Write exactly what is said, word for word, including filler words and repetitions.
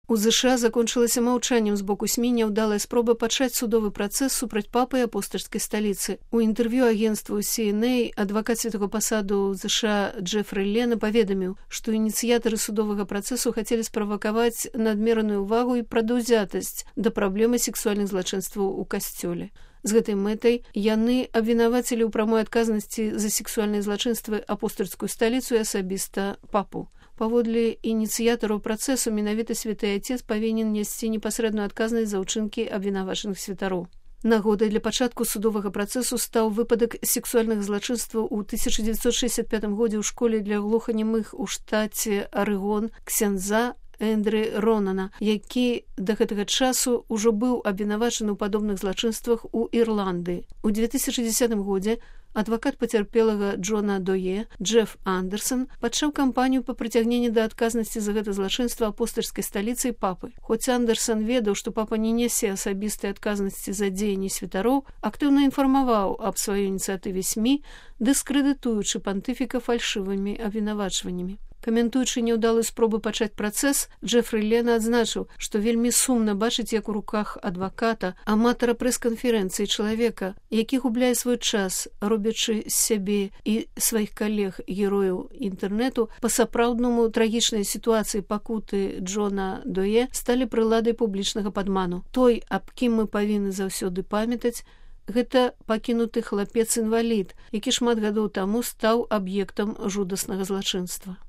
У ЗША закончылася маўчаннем з боку СМІ няўдалая спроба пачаць судовы працэс супраць папы і апостальскай сталіцы. У інтэрв'ю агенцтву Си Эн Эй адвакат святого пасаду ў ЗША Джефры Лена паведаміў, што ініцыятары судовага працэсу хацелі справакаваць надмераную ўвагу і прадаўзятасць да праблемы сексуальных злачынстваў у касцёле. З гэтай мэтай яны абвінавацілі ў прамой адказнасці за сексуальныя злачынствы апостальскую сталіцу і асабіста папу. Паводле ініцыятараў працэсу менавіта святы Отец павінен несці непасрэдную адказнасць за ўчынкі абвінавачаных святароў. Нагодай для пачатку судовага працэсу стаў выпадак сексуальных злачынстваў у тысяча дзевяцьсот шэсцьдзясят пятым годзе ў школе для глуханемых у штаце Арэгон ксяндза Эндры Ронана, які да гэтага часу ўжо быў абвінавачаны ў падобных злачынствах у Ірландыі. У две тысячы дзесятым годзе адвакат пацярпелага Джона Дое Джеф Андерсон пачаў кампанію па прыцягненні да адказнасці за гэта злачынства апостальскай сталіцы і папы. Хоць Андерсон ведаў, што папа не нясе асабістай адказнасці за дзеянні святароў, актыўна інфармаваў аб сваёй ініцыятыве СМІ, дыскрэдытуючы пантыфіка фальшывымі абвінавачваннямі. Каментуючы няўдалую спробу пачаць працэс, Джефры Лена адзначыў, што вельмі сумна бачыць, як у руках адваката, аматара прэс-канферэнцыі чалавека, які губляе свой час, робячы з сябе і сваіх калег герояў інтэрнэту, па-сапраўднаму трагічнай сітуацыі пакуты Джона Дое сталі прыладай публічнага падману. Той, аб кім мы павінны заўсёды памятаць, гэта пакінуты хлапец-інвалід, які шмат гадоў таму стаў аб'ектам жудаснага злачынства.